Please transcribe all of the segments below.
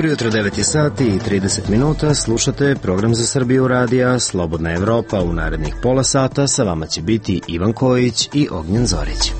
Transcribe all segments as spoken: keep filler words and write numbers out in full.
Dobro jutro, devet je sati i trideset minuta, slušate program za Srbiju radija Slobodna Evropa. U narednih pola sata sa vama će biti Ivan Kojić i Ognjen Zorić.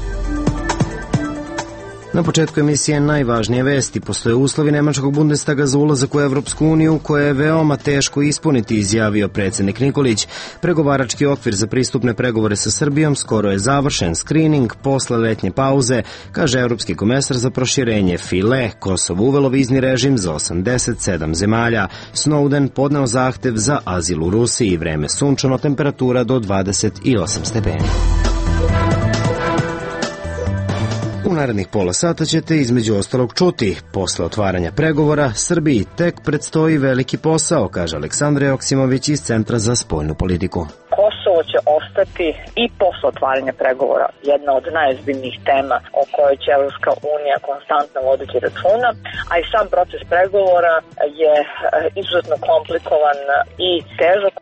Na početku emisije najvažnije vesti. Postoje uslovi nemačkog Bundestaga za ulazak u Evropsku uniju koje je veoma teško ispuniti, izjavio predsjednik Nikolić. Pregovarački okvir za pristupne pregovore sa Srbijom skoro je završen. Skrining posle letnje pauze, kaže evropski komesar za proširenje File. Kosovo uvelo vizni režim za osamdeset sedam zemalja. Snowden podneo zahtev za azil u Rusiji. Vreme sunčano, temperatura do dvadeset osam stepeni. U narednih pola sata ćete između ostalog čuti. Posle otvaranja pregovora, Srbiji tek predstoji veliki posao, kaže Aleksandra Joksimović iz Centra za spoljnu politiku. Kosovo će ostati i posle otvaranja pregovora jedna od najozbiljnijih tema o kojoj će Evropska unija konstantno voditi računa, a i sam proces pregovora je izuzetno komplikovan i težak.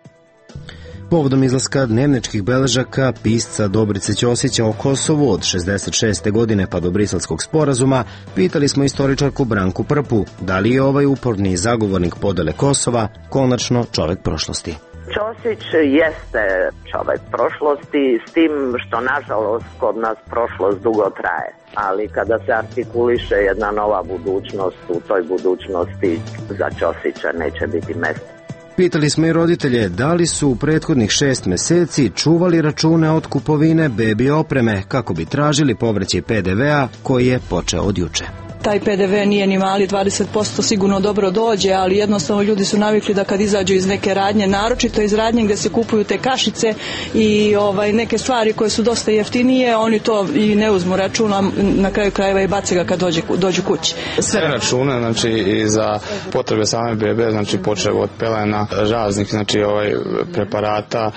Povodom izlaska dnevničkih beležaka pisca Dobrice Ćosića o Kosovu od šezdeset šeste godine pa do Briselskog sporazuma, pitali smo istoričarku Branku Prpu da li je ovaj uporni zagovornik podele Kosova konačno čovek prošlosti. Ćosić jeste čovek prošlosti, s tim što nažalost kod nas prošlost dugo traje. Ali kada se artikuliše jedna nova budućnost, u toj budućnosti za Ćosića neće biti mesta. Pitali smo i roditelje da li su u prethodnih šest meseci čuvali račune od kupovine bebi opreme kako bi tražili povraćaj pe de vea koji je počeo od juče. Taj pe de ve nije ni mali, dvadeset posto sigurno dobro dođe, ali jednostavno ljudi su navikli da kad izađu iz neke radnje, naročito iz radnje gde se kupuju te kašice i ovaj, neke stvari koje su dosta jeftinije, oni to i ne uzmu računa, na kraju krajeva i bace ga kad dođe, dođu kući. Sve račune, znači i za potrebe same bebe, znači počeo od pelena, raznih, znači ovaj preparata.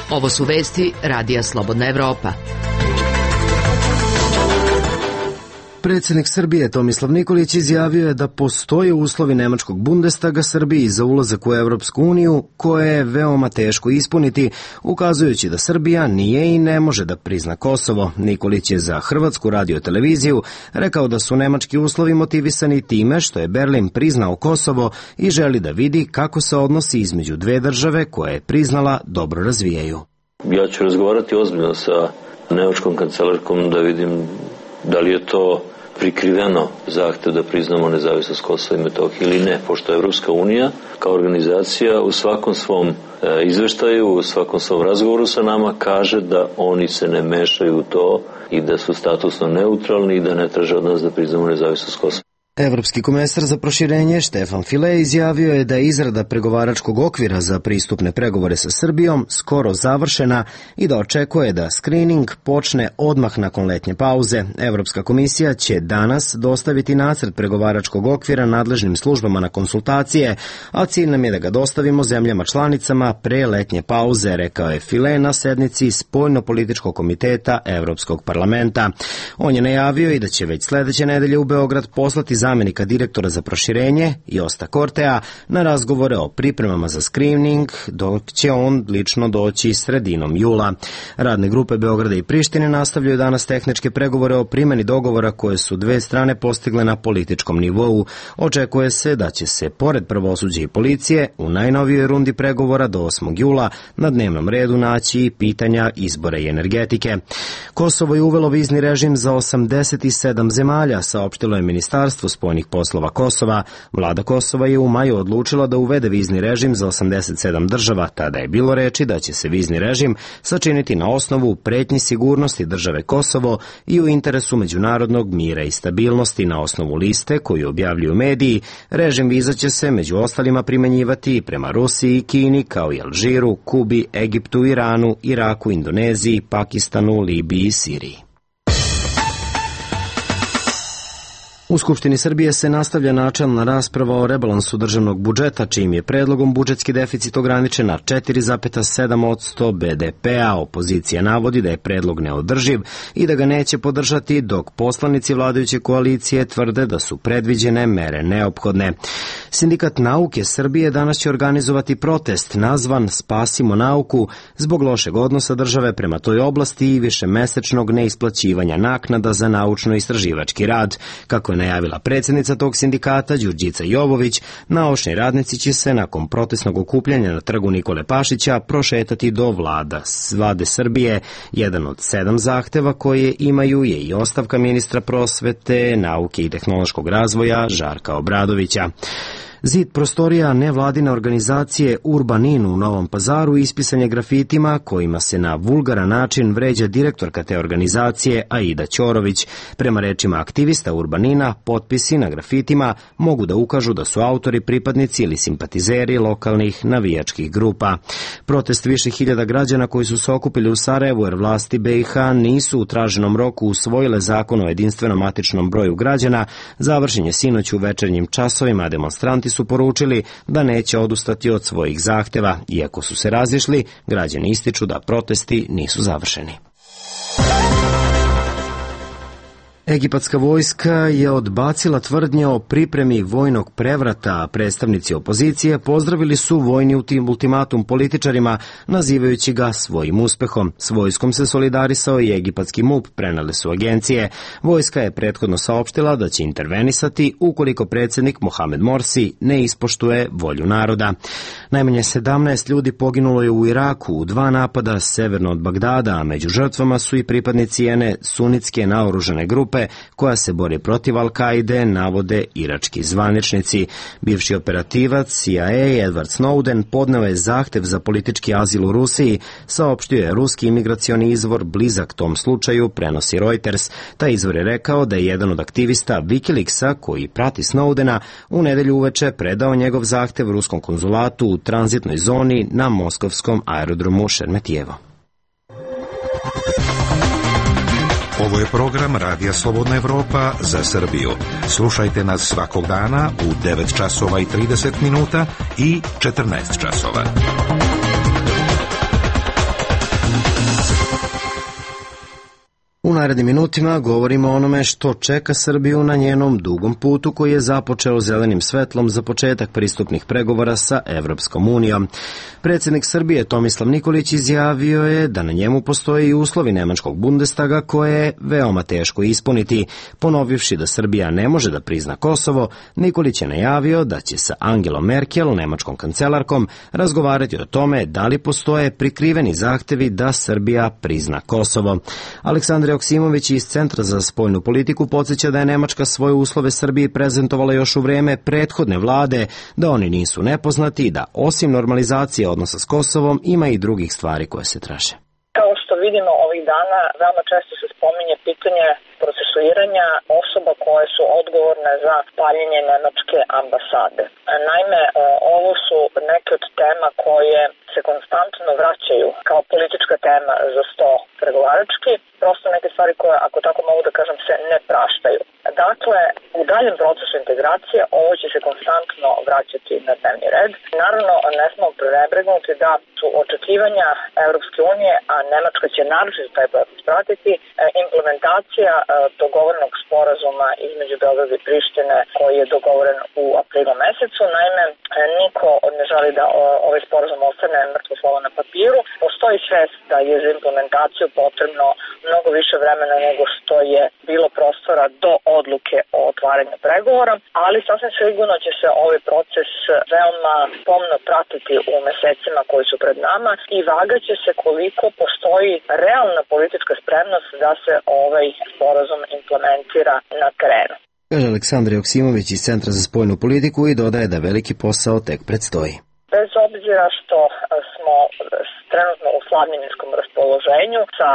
Ovo su vesti Radija Slobodna Evropa. Predsjednik Srbije Tomislav Nikolić izjavio je da postoje uslovi nemačkog Bundestaga Srbiji za ulazak u Evropsku uniju koje je veoma teško ispuniti, ukazujući da Srbija nije i ne može da prizna Kosovo. Nikolić je za Hrvatsku radioteleviziju rekao da su nemački uslovi motivisani time što je Berlin priznao Kosovo i želi da vidi kako se odnosi između dve države koje je priznala dobro razvijaju. Ja ću razgovarati ozbiljno sa nemačkom kancelarkom da vidim da li je to prikriveno zahtev da priznamo nezavisnost Kosova i Metohije ili ne, pošto Evropska unija kao organizacija u svakom svom e, izveštaju, u svakom svom razgovoru sa nama kaže da oni se ne mešaju u to i da su statusno neutralni i da ne traže od nas da priznamo nezavisnost Kosova. Evropski komesar za proširenje Štefan File izjavio je da je izrada pregovaračkog okvira za pristupne pregovore sa Srbijom skoro završena i da očekuje da skrining počne odmah nakon letnje pauze. Evropska komisija će danas dostaviti nacrt pregovaračkog okvira nadležnim službama na konsultacije, a cilj nam je da ga dostavimo zemljama članicama pre letnje pauze, rekao je File na sednici Spoljno-političkog komiteta Evropskog parlamenta. On je najavio i da će već sledeće nedelje u Beograd poslati zamenika direktora za proširenje Josta Kortea na razgovore o pripremama za skrining, dok će on lično doći sredinom jula. Radne grupe Beograda i Prištine nastavljaju danas tehničke pregovore o primjeni dogovora koje su dve strane postigle na političkom nivou. Očekuje se da će se, pored pravosuđa i policije, u najnovijoj rundi pregovora do osmog jula na dnevnom redu naći pitanja izbora i energetike. Kosovo je uvelo vizni režim za osamdeset sedam zemalja, saopštilo je Ministarstvo spoljnih poslova Kosova. Vlada Kosova je u maju odlučila da uvede vizni režim za osamdeset sedam država. Tada je bilo reči da će se vizni režim sačiniti na osnovu pretnji sigurnosti države Kosovo i u interesu međunarodnog mira i stabilnosti. Na osnovu liste koju objavljuju mediji, režim viza će se među ostalima primenjivati i prema Rusiji, Kini, kao i Alžiru, Kubi, Egiptu, Iranu, Iraku, Indoneziji, Pakistanu, Libiji i Siriji. U Skupštini Srbije se nastavlja načelna rasprava o rebalansu državnog budžeta, čijim je predlogom budžetski deficit ograničen na četiri zarez sedam posto be de pe-a. Opozicija navodi da je predlog neodrživ i da ga neće podržati, dok poslanici vladajuće koalicije tvrde da su predviđene mere neophodne. Sindikat nauke Srbije danas će organizovati protest nazvan Spasimo nauku zbog lošeg odnosa države prema toj oblasti i višemesečnog neisplaćivanja naknada za naučno-istraživački rad. Kako je najavila predsjednica tog sindikata Đurđica Jovović, naučni radnici će se nakon protestnog okupljanja na trgu Nikole Pašića prošetati do vlada Vlade Srbije. Jedan od sedam zahteva koje imaju je i ostavka ministra prosvete, nauke i tehnološkog razvoja Žarka Obradovića. Zid prostorija nevladine organizacije Urbanin u Novom Pazaru ispisan je grafitima kojima se na vulgaran način vređa direktorka te organizacije Aida Ćorović. Prema rečima aktivista Urbanina, potpisi na grafitima mogu da ukažu da su autori pripadnici ili simpatizeri lokalnih navijačkih grupa. Protest više hiljada građana koji su se okupili u Sarajevu jer vlasti be i ha nisu u traženom roku usvojile zakon o jedinstvenom matičnom broju građana završen je sinoć u večernjim časovima, a demonstranti su poručili da neće odustati od svojih zahteva. Iako su se razišli, građani ističu da protesti nisu završeni. Egipatska vojska je odbacila tvrdnje o pripremi vojnog prevrata, a predstavnici opozicije pozdravili su vojni ultimatum političarima, nazivajući ga svojim uspehom. S vojskom se solidarisao i egipatski MUP, prenale su agencije. Vojska je prethodno saopštila da će intervenisati ukoliko predsjednik Mohamed Morsi ne ispoštuje volju naroda. Najmanje sedamnaest ljudi poginulo je u Iraku u dva napada severno od Bagdada, a među žrtvama su i pripadnici jedne sunitske naoružane grupe koja se bori protiv Al-Kaide, navode irački zvaničnici. Bivši operativac C I A Edward Snowden podneo je zahtev za politički azil u Rusiji, saopštio je ruski imigracioni izvor blizak tom slučaju, prenosi Reuters. Taj izvor je rekao da je jedan od aktivista Wikileaksa, koji prati Snowdena, u nedelju uveče predao njegov zahtev ruskom konzulatu u tranzitnoj zoni na moskovskom aerodromu Šermetijevo. Ovo je program Radija Slobodna Evropa za Srbiju. Slušajte nas svakog dana u devet časova i trideset minuta i četrnaest časova. U narednim minutima govorimo o onome što čeka Srbiju na njenom dugom putu koji je započeo zelenim svetlom za početak pristupnih pregovora sa Evropskom unijom. Predsjednik Srbije Tomislav Nikolić izjavio je da na njemu postoje i uslovi nemačkog Bundestaga koje je veoma teško ispuniti. Ponovivši da Srbija ne može da prizna Kosovo, Nikolić je najavio da će sa Angelom Merkel, nemačkom kancelarkom, razgovarati o tome da li postoje prikriveni zahtevi da Srbija prizna Kosovo. Aleksandar Joksimović iz Centra za spoljnu politiku podsjeća da je Nemačka svoje uslove Srbiji prezentovala još u vreme prethodne vlade, da oni nisu nepoznati i da osim normalizacije odnosa s Kosovom ima i drugih stvari koje se traže. Kao što vidimo ovih dana, veoma često se spominje pitanje procesuiranja osoba koje su odgovorne za paljenje nemačke ambasade. Naime, ovo su neke od tema koje se konstantno vraćaju kao politička tema za sto pregovarački, prosto neke stvari koje, ako tako mogu da kažem, se ne praštaju. Dakle, u daljem procesu integracije ovo će se konstantno vraćati na dnevni red. Naravno, ne smo prenebregnuti da su očekivanja Evropske unije, a Nemačka će naročito taj proces pratiti, implementacija dogovorenog sporazuma između Beograda i Prištine koji je dogovoren u aprilu mesecu. Naime, niko ne želi da ovaj sporazum ostane mrtvo slovo na papiru. Postoji svest da je za implementaciju potrebno mnogo više vremena nego što je bilo prostora do odluke o otvaranju pregovora, ali sasvim sigurno će se ovaj proces veoma pomno pratiti u mesecima koji su pred nama i vagaće se koliko postoji realna politička spremnost da se ovaj sporazum implementira na terenu. Kaže Aleksandar Joksimović iz Centra za spoljnu politiku i dodaje da veliki posao tek predstoji. Bez obzira što smo trenutno u slavljeninskom raspoloženju sa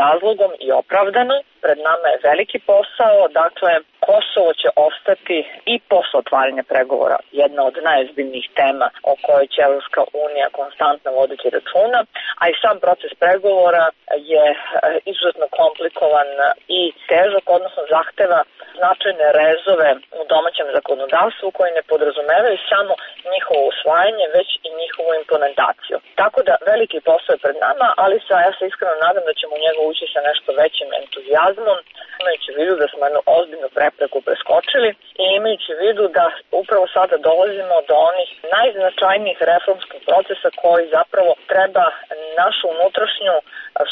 razlogom i opravdano, pred nama je veliki posao, dakle Kosovo će ostati i posle otvaranja pregovora jedna od najozbiljnijih tema o kojoj će Evropska unija konstantno voditi računa, a i sam proces pregovora je izuzetno komplikovan i težak, odnosno zahteva značajne rezove u domaćem zakonodavstvu koji ne podrazumevaju samo njihovo usvajanje, već i njihovu implementaciju. Tako da veliki posao je pred nama, ali sa, ja se iskreno nadam da ćemo u njega ući sa nešto većim entuzijazmom, imajući u vidu da smo jednu ozbiljnu prepreku preskočili i imajući u vidu da upravo sada dolazimo do onih najznačajnijih reformskih procesa koji zapravo treba našu unutrašnju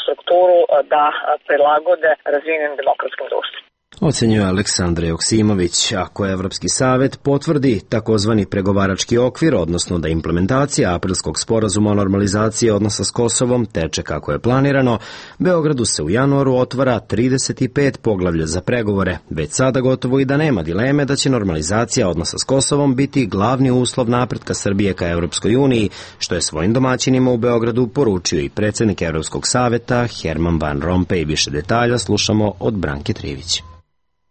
strukturu da prilagode razvijenim demokratskim društvom. Ocenjuje Aleksandra Joksimović. Ako Evropski savet potvrdi takozvani pregovarački okvir, odnosno da implementacija aprilskog sporazuma o normalizaciji odnosa s Kosovom teče kako je planirano, Beogradu se u januaru otvara trideset pet poglavlja za pregovore. Već sada gotovo i da nema dileme da će normalizacija odnosa s Kosovom biti glavni uslov napretka Srbije ka Evropskoj uniji, što je svojim domaćinima u Beogradu poručio i predsjednik Evropskog saveta Herman Van Rompuy. Više detalja slušamo od Branke Trivić.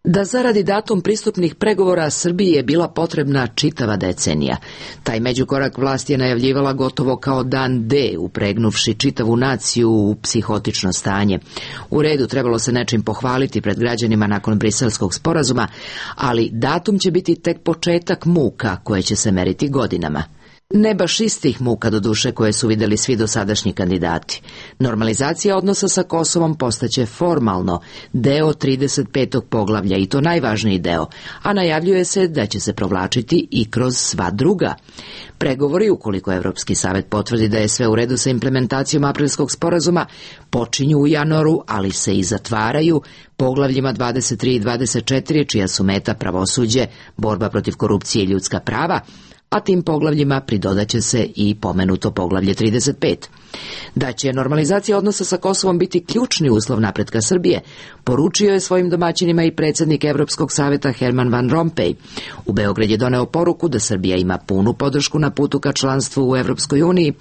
Da zaradi datum pristupnih pregovora Srbiji je bila potrebna čitava decenija. Taj međukorak vlast je najavljivala gotovo kao dan D, upregnuvši čitavu naciju u psihotično stanje. U redu, trebalo se nečim pohvaliti pred građanima nakon briselskog sporazuma, ali datum će biti tek početak muka koje će se meriti godinama. Ne baš istih muka do duše koje su vidjeli svi dosadašnji kandidati. Normalizacija odnosa sa Kosovom postaće formalno deo trideset petog poglavlja i to najvažniji deo, a najavljuje se da će se provlačiti i kroz sva druga. Pregovori, ukoliko Evropski savet potvrdi da je sve u redu sa implementacijom aprilskog sporazuma, počinju u januaru, ali se i zatvaraju poglavljima dvadeset tri i dvadeset četiri, čija su meta pravosuđe, borba protiv korupcije i ljudska prava, a tim poglavljima pridodaće se i pomenuto poglavlje trideset pet. Da će normalizacija odnosa sa Kosovom biti ključni uslov napretka Srbije, poručio je svojim domaćinima i predsjednik Evropskog saveta Herman Van Rompuy. U Beograd je doneo poruku da Srbija ima punu podršku na putu ka članstvu u Evropskoj uniji,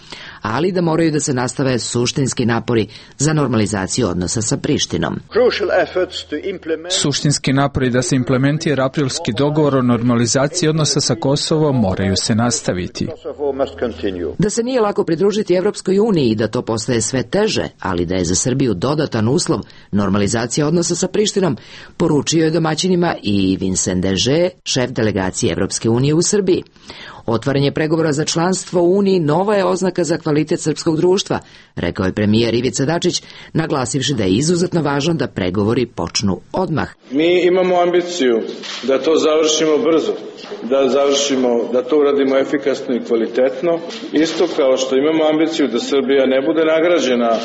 ali da moraju da se nastave suštinski napori za normalizaciju odnosa sa Prištinom. Suštinski napori da se implementira aprilski dogovor o normalizaciji odnosa sa Kosovom moraju se nastaviti. Da se nije lako pridružiti Evropskoj uniji i da to postaje sve teže, ali da je za Srbiju dodatan uslov normalizacija odnosa sa Prištinom, poručio je domaćinima i Vincent Deže, šef delegacije Evropske unije u Srbiji. Otvaranje pregovora za članstvo u Uniji nova je oznaka za kvalitet srpskog društva, rekao je premijer Ivica Dačić, naglasivši da je izuzetno važno da pregovori počnu odmah. Mi imamo ambiciju da to završimo brzo, da završimo, da to uradimo efikasno i kvalitetno, isto kao što imamo ambiciju da Srbija ne bude nagrađena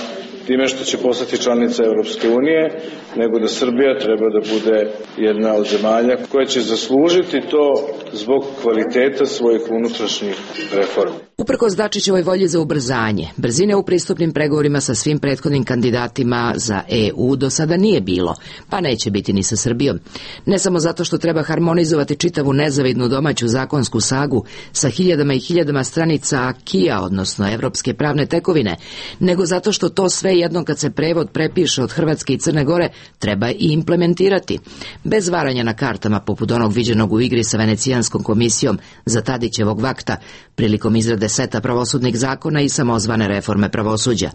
time što će postati članica Evropske unije, nego da Srbija treba da bude jedna od zemalja koja će zaslužiti to zbog kvaliteta svojih unutrašnjih reformi. Uprkos Dačićevoj volji za ubrzanje, brzine u pristupnim pregovorima sa svim prethodnim kandidatima za E U do sada nije bilo, pa neće biti ni sa Srbijom. Ne samo zato što treba harmonizovati čitavu nezavidnu domaću zakonsku sagu sa hiljadama i hiljadama stranica akija, odnosno evropske pravne tekovine, nego zato što to sve jednom kad se prevod prepiše od Hrvatske i Crne Gore treba i implementirati. Bez varanja na kartama poput onog viđenog u igri sa Venecijanskom komisijom za Tadićevog vakta prilikom izrade seta pravosudnih zakona i samozvane reforme pravosuđa.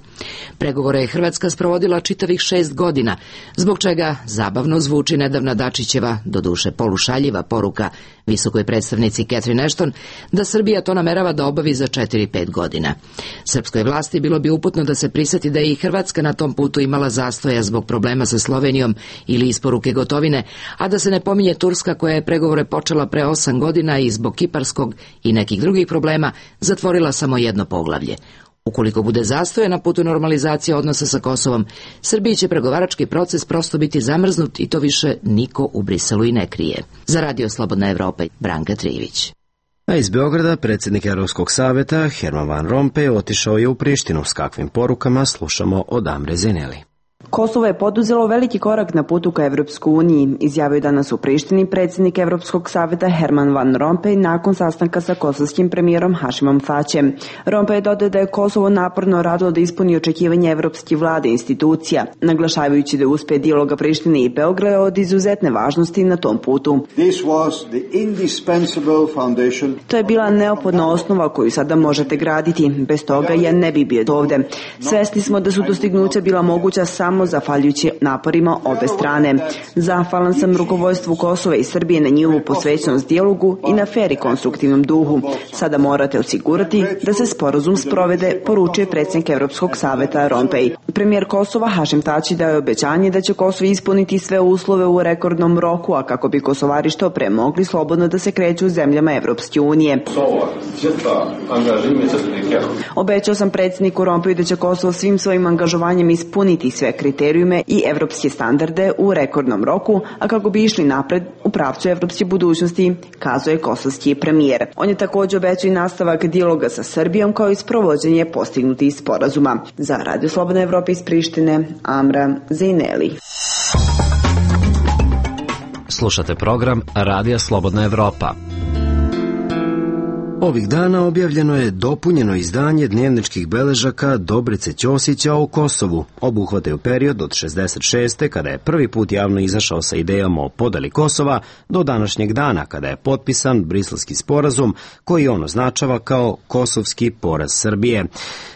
Pregovore je Hrvatska sprovodila čitavih šest godina, zbog čega zabavno zvuči nedavna Dačićeva, doduše polušaljiva poruka visokoj predstavnici Catherine Ashton, da Srbija to namerava da obavi za četiri pet godina. Srpskoj vlasti bilo bi uputno da se priseti da je i Hrvatska na tom putu imala zastoja zbog problema sa Slovenijom ili isporuke gotovine, a da se ne pominje Turska koja je pregovore počela pre osam godina i zbog kiparskog i nekih drugih problema zatvorila samo jedno poglavlje. Ukoliko bude zastoja na putu normalizacije odnosa sa Kosovom, Srbiji će pregovarački proces prosto biti zamrznut i to više niko u Briselu i ne krije. Za Radio Slobodna Evropa, Branka Trivić. A iz Beograda predsjednik Evropskog saveta Herman Van Rompuy otišao je u Prištinu. S kakvim porukama slušamo od Amre Zeneli. Kosovo je poduzelo veliki korak na putu ka Evropskoj uniji, izjavio danas u Prištini predsjednik Evropskog saveta Herman Van Rompuy nakon sastanka sa kosovskim premijerom Hašimom Tačijem. Rompuy je dodao da je Kosovo naporno radilo da ispuni očekivanje evropske vlade i institucija, naglašavajući da uspe dijaloga Prištine i Beograda od izuzetne važnosti na tom putu. To je bila neophodna osnova koju sada možete graditi, bez toga ja ne bi bio ovde. Svesni smo da su dostignuća bila moguća samo zahvaljujući naporima obe strane. Zahvalan sam rukovodstvu Kosova i Srbije na njihovu posvećenost dijalogu i na fer i konstruktivnom duhu. Sada morate osigurati da se sporazum sprovede, poručuje predsjednik Evropskog saveta Rompuy. Premijer Kosova Hašim Tači dao je obećanje da će Kosovo ispuniti sve uslove u rekordnom roku, a kako bi Kosovari što pre mogli slobodno da se kreću u zemljama Evropske unije. Obećao sam predsjedniku Rompuyu da će Kosovo svim svojim angažovanjem ispuniti sve kriterijume i evropske standarde u rekordnom roku, a kako bi išli napred u pravcu evropske budućnosti, kazao je kosovski premijer. On je također obećao i nastavak dijaloga sa Srbijom kao i sprovođenje postignutih sporazuma. Za Radio Slobodna Evropa iz Prištine, Amra Zejneli. Slušate program Radija Slobodna Evropa. Ovih dana objavljeno je dopunjeno izdanje dnevničkih beležaka Dobrice Ćosića o Kosovu. Obuhvataju period od šezdeset šeste. kada je prvi put javno izašao sa idejama o podeli Kosova do današnjeg dana kada je potpisan Briselski sporazum koji on označava kao kosovski poraz Srbije.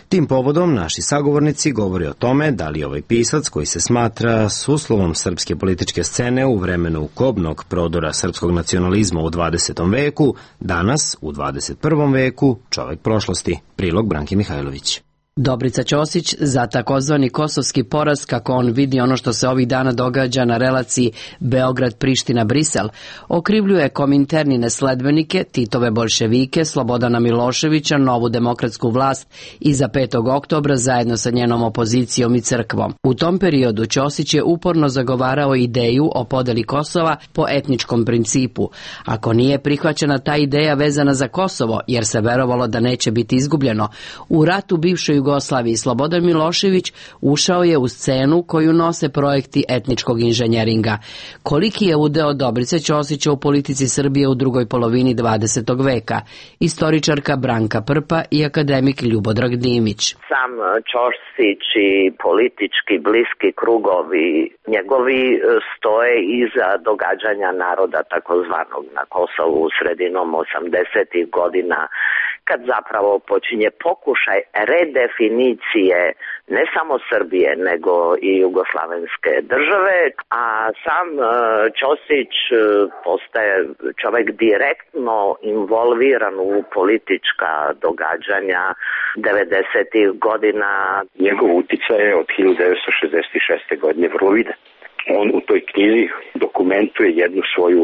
Tim povodom naši sagovornici govori o tome da li ovaj pisac koji se smatra suslovom srpske političke scene u vremenu kobnog prodora srpskog nacionalizma u dvadesetom veku, danas u dvadeset prvom veku čovek prošlosti. Prilog Branke Mihajlović. Dobrica Ćosić za takozvani kosovski poraz, kako on vidi ono što se ovih dana događa na relaciji Beograd-Priština-Brisel, okrivljuje kominternine sledbenike, Titove bolševike, Slobodana Miloševića, novu demokratsku vlast iza petog oktobra zajedno sa njenom opozicijom i crkvom. U tom periodu Ćosić je uporno zagovarao ideju o podeli Kosova po etničkom principu. Ako nije prihvaćena ta ideja vezana za Kosovo, jer se verovalo da neće biti izgubljeno, u ratu bivšoj Jugoslaviji Slobodan Milošević ušao je u scenu koju nose projekti etničkog inženjeringa. Koliki je udeo Dobrice Ćosića u politici Srbije u drugoj polovini dvadesetog veka? Istoričarka Branka Prpa i akademik Ljubodrag Dimić. Sam Ćosić i politički bliski krugovi njegovi stoje iza događanja naroda takozvanog na Kosovu sredinom osamdesetih godina, kad zapravo počinje pokušaj redefinicije ne samo Srbije, nego i jugoslavenske države, a sam Ćosić postaje čovjek direktno involviran u politička događanja devedesetih godina. Njegov uticaj je od hiljadu devetsto šezdeset šeste. godine vrlo vidan. On u toj knjizi dokumentuje jednu svoju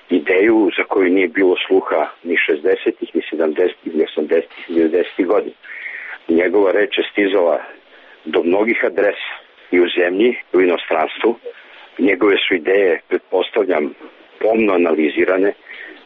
ideju za koju nije bilo sluha ni šezdesetih, ni sedamdesetih, ni osamdesetih, ni devedesetih godina. Njegova reč je stizala do mnogih adresa i u zemlji, i u inostranstvu. Njegove su ideje, pretpostavljam, pomno analizirane,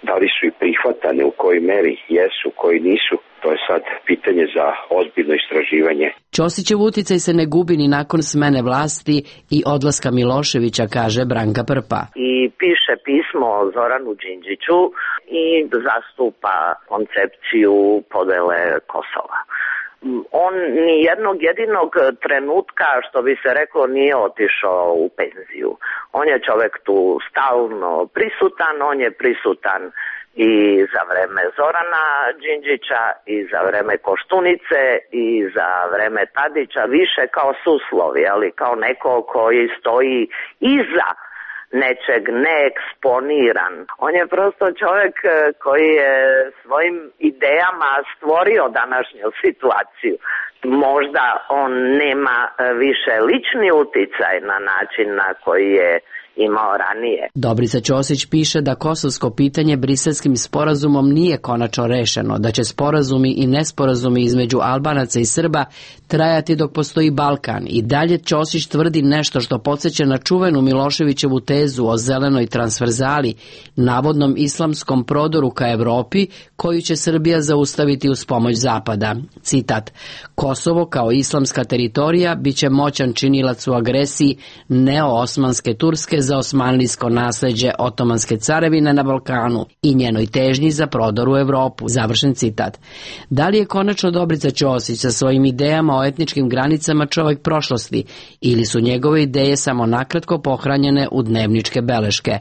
da li su i prihvatane, u kojoj meri jesu, u kojoj nisu. To je sad pitanje za ozbiljno istraživanje. Ćosićev uticaj se ne gubi ni nakon smene vlasti i odlaska Miloševića, kaže Branka Prpa. I piše pismo Zoranu Đinđiću i zastupa koncepciju podele Kosova. On ni jednog jedinog trenutka, što bi se reklo, nije otišao u penziju. On je čovjek tu stalno prisutan, on je prisutan i za vreme Zorana Đinđića, i za vreme Koštunice, i za vreme Tadića, više kao suslovi, ali kao neko koji stoji iza nečeg neeksponiran. On je prosto čovjek koji je svojim idejama stvorio današnju situaciju. Možda on nema više lični uticaj na način na koji je imao ranije. Dobrica Ćosić piše da kosovsko pitanje Briselskim sporazumom nije konačno rešeno, da će sporazumi i nesporazumi između Albanaca i Srba trajati dok postoji Balkan i dalje Ćosić tvrdi nešto što podsjeća na čuvenu Miloševićevu tezu o zelenoj transverzali, navodnom islamskom prodoru ka Evropi koju će Srbija zaustaviti uz pomoć Zapada. Citat: Kosovo kao islamska teritorija biće moćan činilac u agresiji neo-osmanske Turske za osmanlijsko nasleđe Otomanske carevine na Balkanu i njenoj težnji za prodor u Evropu. Završen citat. Da li je konačno Dobrica Ćosić sa svojim idejama o etničkim granicama čovjek prošlosti ili su njegove ideje samo nakratko pohranjene u dnevničke beleške?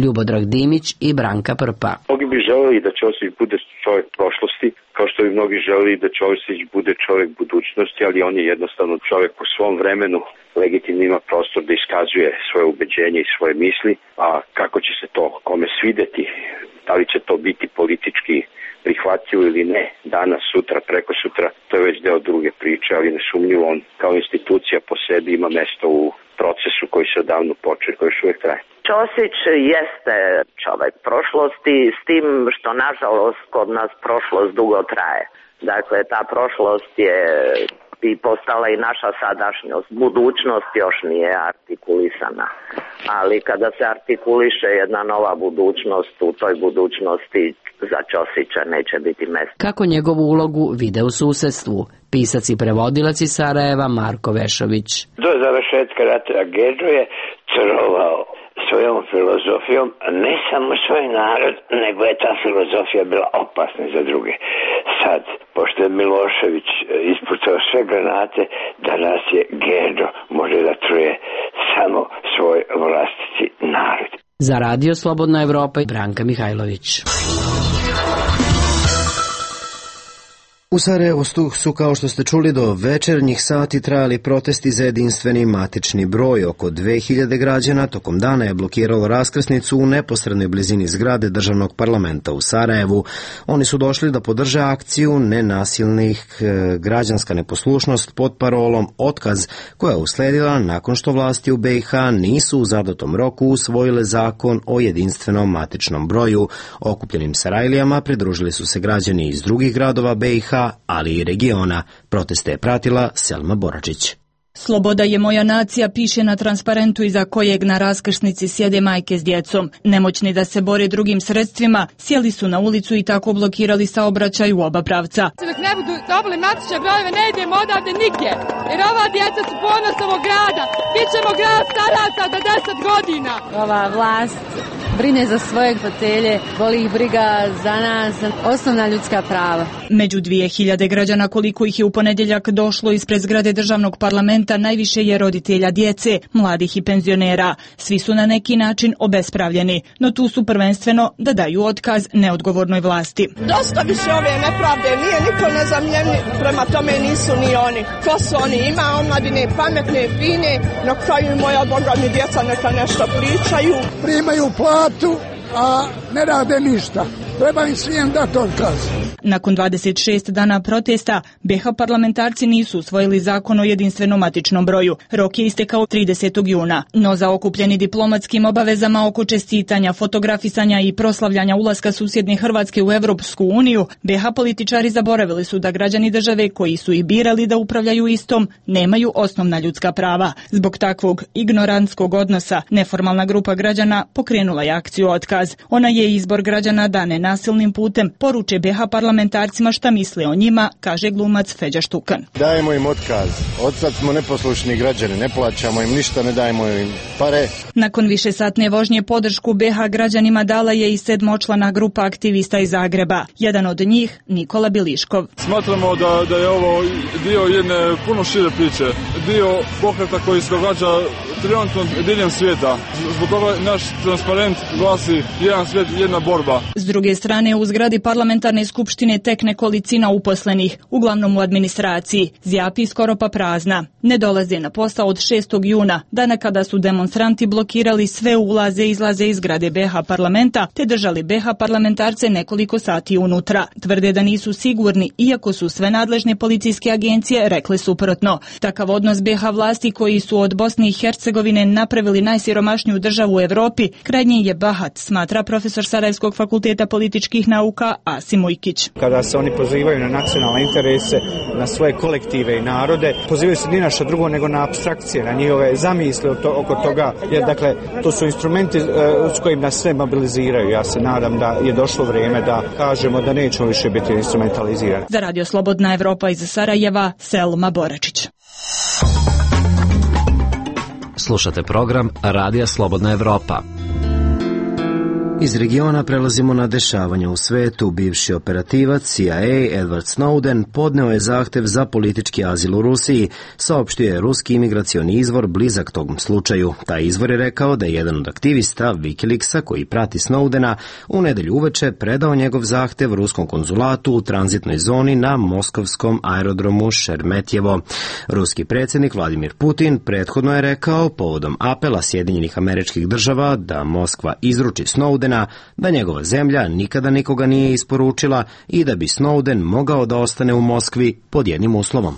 Ljubodrag Dimić i Branka Prpa. Mnogi bi želeli da Ćosić bude čovjek prošlosti, kao što bi mnogi želeli da Ćosić bude čovjek budućnosti, ali on je jednostavno čovjek u svom vremenu, legitimno ima prostor da iskazuje svoje ubeđenje i svoje misli, a kako će se to kome svideti, da li će to biti politički prihvatljivo ili ne, danas, sutra, preko sutra, to je već deo druge priče, ali nesumnjivo on kao institucija po sebi ima mesto u procesu koji se odavno počeo, koji još uvijek traje. Ćosić jeste čovek prošlosti, s tim što nažalost kod nas prošlost dugo traje. Dakle, ta prošlost je i postala i naša sadašnjost. Budućnost još nije artikulisana. Ali kada se artikuliše jedna nova budućnost, u toj budućnosti za Ćosića neće biti mesta. Kako njegovu ulogu vide u susedstvu? Pisac i prevodilac iz Sarajeva Marko Vešović. Do završetka rata Gedžo je trovao svojom filozofijom ne samo svoj narod, nego je ta filozofija bila opasna za druge. Sad, pošto je Milošević ispucao sve granate, danas je Gedžo može da truje samo svoj vlastiti narod. Za Radio Slobodna Evropa Branka Mihajlović. U Sarajevu su, kao što ste čuli, do večernjih sati trajali protesti za jedinstveni matični broj. Oko dve hiljade građana tokom dana je blokiralo raskrsnicu u neposrednoj blizini zgrade državnog parlamenta u Sarajevu. Oni su došli da podrže akciju nenasilnih građanska neposlušnost pod parolom Otkaz, koja je usledila nakon što vlasti u B i H nisu u zadatom roku usvojile zakon o jedinstvenom matičnom broju. Okupljenim Sarajlijama pridružili su se građani iz drugih gradova B i H, ali i regiona. Proteste je pratila Selma Boračić. Sloboda je moja nacija piše na transparentu iza kojeg na raskršnici sjede majke s djecom. Nemoćni da se bore drugim sredstvima, sjeli su na ulicu i tako blokirali saobraćaj u oba pravca. Dok ne budu dobili matične brojeve, ne idemo odavde nigdje, jer ova djeca su ponos ovog grada. Bićemo grad staraca do deset godina. Ova vlast brine za svoje fotelje, boli ih briga za nas, osnovna ljudska prava. Među dvije hiljade građana koliko ih je u ponedjeljak došlo ispred zgrade državnog parlamenta, najviše je roditelja djece, mladih i penzionera. Svi su na neki način obespravljeni, no tu su prvenstveno da daju otkaz neodgovornoj vlasti. Dosta više ove nepravde, nije niko nezamljenji, prema tome nisu ni oni. Ko su oni? Ima omladine pametne, fine, na kraju moja boga mi djeca neka nešto pričaju. Primaju platu, a ne rade ništa. Treba im svijem dati otkaz. Nakon dvadeset šest dana protesta, B i H parlamentarci nisu usvojili zakon o jedinstvenom matičnom broju. Rok je istekao tridesetog juna, no za okupljeni diplomatskim obavezama oko čestitanja, fotografisanja i proslavljanja ulaska susjedne Hrvatske u Evropsku uniju, B i H političari zaboravili su da građani države koji su ih birali da upravljaju istom nemaju osnovna ljudska prava. Zbog takvog ignorantskog odnosa, neformalna grupa građana pokrenula je akciju Otkaz. Ona je izbor građana da nenasilnim putem poruče B i H parlamentarcima šta misle o njima, kaže glumac Feđa Štukan. Dajemo im otkaz. Odsad smo neposlušni građani, ne plaćamo im ništa, ne dajemo im pare. Nakon višesatne vožnje podršku B i H građanima dala je i sedmočlana grupa aktivista iz Zagreba. Jedan od njih, Nikola Biliškov. Smatramo da, da je ovo dio jedne puno šire priče, dio pokreta koji se događa trenutno diljem svijeta. Zbog toga naš transparent glasi jedan svijet, jedna borba. S druge druge strane, u zgradi parlamentarne skupštine tek nekolicina uposlenih, uglavnom u administraciji, zjapi skoro pa prazna. Ne dolaze na posao od šestog juna, dana kada su demonstranti blokirali sve ulaze i izlaze iz zgrade be ha parlamenta, te držali be ha parlamentarce nekoliko sati unutra. Tvrde da nisu sigurni, iako su sve nadležne policijske agencije rekle suprotno. Takav odnos be ha vlasti, koji su od Bosne i Hercegovine napravili najsiromašniju državu u Evropi, krajnje je bahat, smatra profesor Sarajevskog fakulteta političkih nauka Asim Ujkić. Kada se oni pozivaju na nacionalne interese, na svoje kolektive i narode, pozivaju se ni na što drugo nego na apstrakcije, na njihove zamisle oko toga, jer dakle to su instrumenti s kojim nas sve mobiliziraju. Ja se nadam da je došlo vrijeme da kažemo da nećemo više biti instrumentalizirani. Za Radio Slobodna Evropa iz Sarajeva, Selma Boračić. Slušate program Radija Slobodna Evropa. Iz regiona prelazimo na dešavanja u svetu. Bivši operativac C I A Edward Snowden podneo je zahtev za politički azil u Rusiji, saopštio je ruski imigracioni izvor blizak tom slučaju. Taj izvor je rekao da je jedan od aktivista Wikileaksa koji prati Snowdena u nedelju uveče predao njegov zahtev ruskom konzulatu u tranzitnoj zoni na moskovskom aerodromu Šeremetjevo. Ruski predsjednik Vladimir Putin prethodno je rekao povodom apela Sjedinjenih Američkih Država da Moskva izruči Snowdena da njegova zemlja nikada nikoga nije isporučila i da bi Snowden mogao da ostane u Moskvi pod jednim uslovom.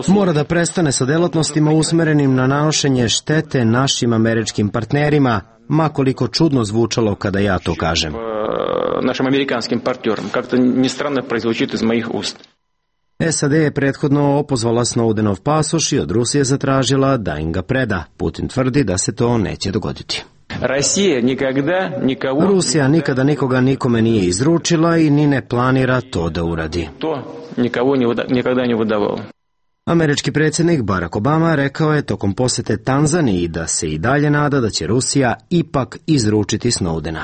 Mora da prestane sa delatnostima usmerenim na nanošenje štete našim američkim partnerima, ma koliko čudno zvučalo kada ja to kažem. Našim amerikanskim partnerom, kako ni strano proizvučiti iz mojih ust. S A D je prethodno opozvala Snowdenov pasoš i od Rusije zatražila da im ga preda. Putin tvrdi da se to neće dogoditi. Rusija nikada nikoga nikome nije izručila i ni ne planira to da uradi. Američki predsjednik Barack Obama rekao je tokom posjete Tanzaniji da se i dalje nada da će Rusija ipak izručiti Snowdena.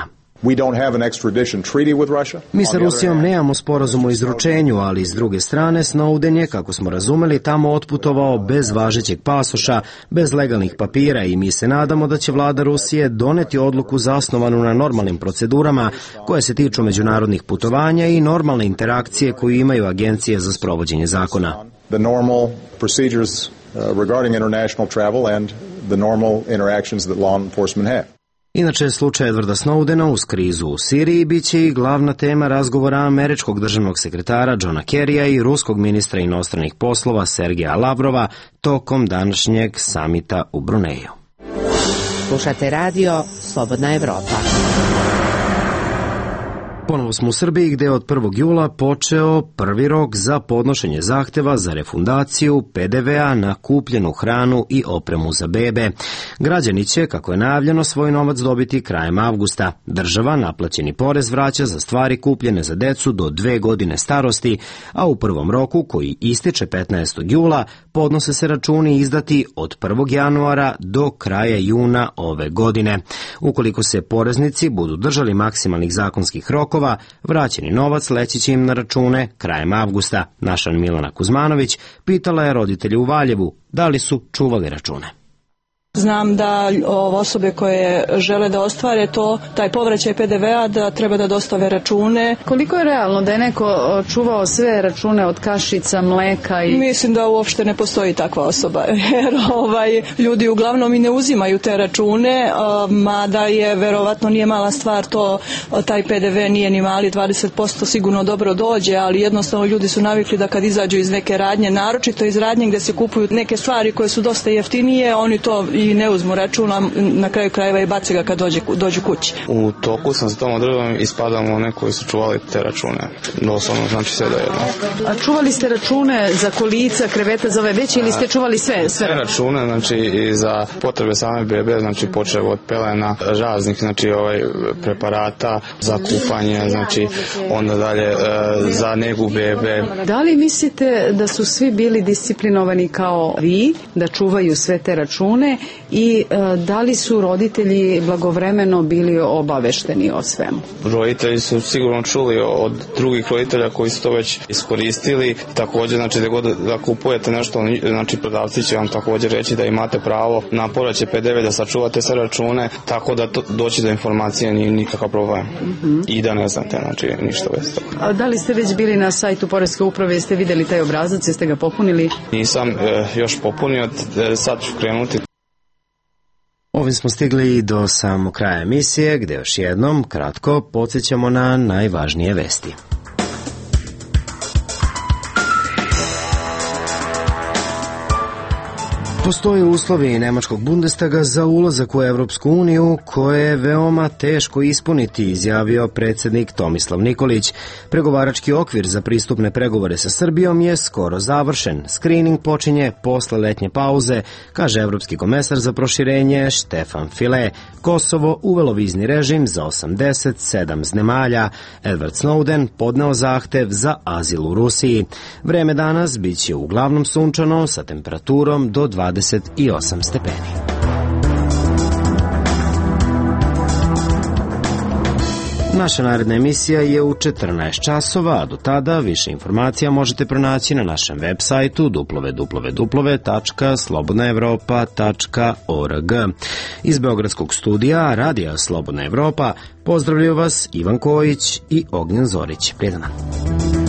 Mi sa Rusijom nemamo sporazum o izručenju, ali s druge strane Snowden je, kako smo razumeli, tamo otputovao bez važećeg pasoša, bez legalnih papira i mi se nadamo da će vlada Rusije doneti odluku zasnovanu na normalnim procedurama koje se tiču međunarodnih putovanja i normalne interakcije koju imaju agencije za sprovođenje zakona. The normal procedures regarding international travel and the normal interactions that law enforcement have. Inače, slučaj Edwarda Snowdena uz krizu u Siriji biće i glavna tema razgovora američkog državnog sekretara Johna Kerrya i ruskog ministra inostranih poslova Sergeja Lavrova tokom današnjeg samita u Bruneju. Slušate radio Slobodna Evropa. Ponovo smo u Srbiji gde je od prvog jula počeo prvi rok za podnošenje zahteva za refundaciju pe de ve a na kupljenu hranu i opremu za bebe. Građani će, kako je najavljeno, svoj novac dobiti krajem avgusta. Država naplaćeni porez vraća za stvari kupljene za decu do dve godine starosti, a u prvom roku, koji ističe petnaestog jula, podnose se računi izdati od prvog januara do kraja juna ove godine. Ukoliko se poreznici budu držali maksimalnih zakonskih rokova, vraćeni novac leći će im na račune krajem avgusta. Naša Milana Kuzmanović pitala je roditelje u Valjevu da li su čuvali račune. Znam da osobe koje žele da ostvare to, taj povraćaj pe de ve a, da treba da dostave račune. Koliko je realno da je neko čuvao sve račune od kašica, mleka? I... Mislim da uopšte ne postoji takva osoba, jer ovaj, ljudi uglavnom i ne uzimaju te račune, mada je verovatno nije mala stvar to, taj pe de ve nije ni mali, dvadeset posto sigurno dobro dođe, ali jednostavno ljudi su navikli da kad izađu iz neke radnje, naročito iz radnje gde se kupuju neke stvari koje su dosta jeftinije, oni to i ne uzmu računa, na kraju krajeva i baci ga kad dođe, dođu kući. U toku sam s tom odredbom ispadamo one koji su čuvali te račune. Doslovno, znači sve da jedno. A čuvali ste račune za kolica, kreveta, za ove veće ili ste čuvali sve? Sve, sve račune, znači i za potrebe same bebe, znači počeo od pelena, raznih, znači ovaj preparata za kupanje, znači onda dalje e, za negu bebe. Da li mislite da su svi bili disciplinovani kao vi, da čuvaju sve te račune, i e, da li su roditelji blagovremeno bili obavešteni o svemu? Roditelji su sigurno čuli od drugih roditelja koji su to već iskoristili. Također, znači da god da kupujete nešto, znači prodavci će vam također reći da imate pravo na povraćaj P D V, da sačuvate sve račune, tako da to, doći do informacije nije nikakav problem. Mm-hmm. I da ne znate, znači ništa bez toga. A da li ste već bili na sajtu Poreske uprave, jeste vidjeli taj obrazac, jeste ga popunili? Nisam e, još popunio, e, sad ću krenuti. Ovim smo stigli i do samog kraja emisije, gde još jednom kratko podsjećamo na najvažnije vesti. Postoje uslovi nemačkog Bundestaga za ulazak u Evropsku uniju koje je veoma teško ispuniti, izjavio predsjednik Tomislav Nikolić. Pregovarački okvir za pristupne pregovore sa Srbijom je skoro završen. Screening počinje posle letnje pauze, kaže evropski komesar za proširenje Štefan File. Kosovo uvelo vizni režim za osamdeset sedam zemalja. Edward Snowden podneo zahtev za azil u Rusiji. Vreme danas biće uglavnom sunčano sa temperaturom do dvadeset osam stepeni. Naša naredna emisija je u četrnaest časova, a do tada više informacija možete pronaći na našem web sajtu w w w tačka slobodna evropa tačka org. Iz Beogradskog studija Radija Slobodna Evropa pozdravljaju vas Ivan Kojić i Ognjen Zorić. Prijetan dan.